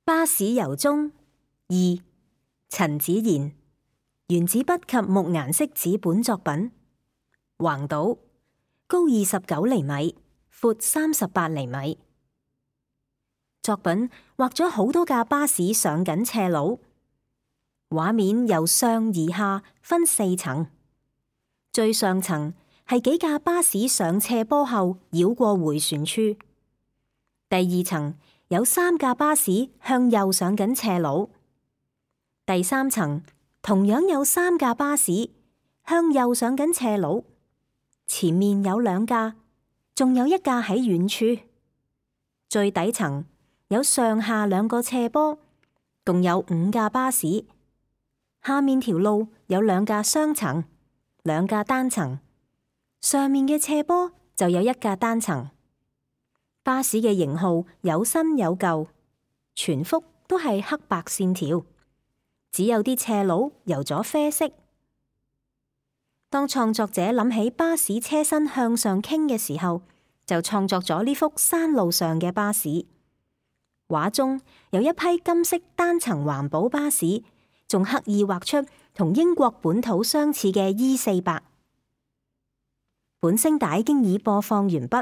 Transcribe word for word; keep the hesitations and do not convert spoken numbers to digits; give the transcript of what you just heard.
巴士由衷二，陳子賢，原子筆及木顏色紙本作品。橫島，高二十九厘米，闊三十八厘米。作品畫咗好多架巴士上緊斜路，畫面由上而下分四層，最上層係幾架巴士上斜坡後繞過迴旋處，第二層有三架巴士向右上緊斜路，第三層同樣有三架巴士向右上緊斜路，前面有兩架，仲有一架喺遠處。最底層有上下兩個斜坡，共有五架巴士。下面條路有兩架雙層，兩架單層，上面嘅斜坡就有一架單層。巴士嘅型號有新有舊，全幅都係黑白線條，只有啲斜路油咗啡色。當創作者諗起巴士車身向上傾嘅時候，就創作咗呢幅山路上嘅巴士。畫中有一批金色單層環保巴士，仲刻意畫出同英國本土相似嘅 E 四百。本聲帶經已播放完畢。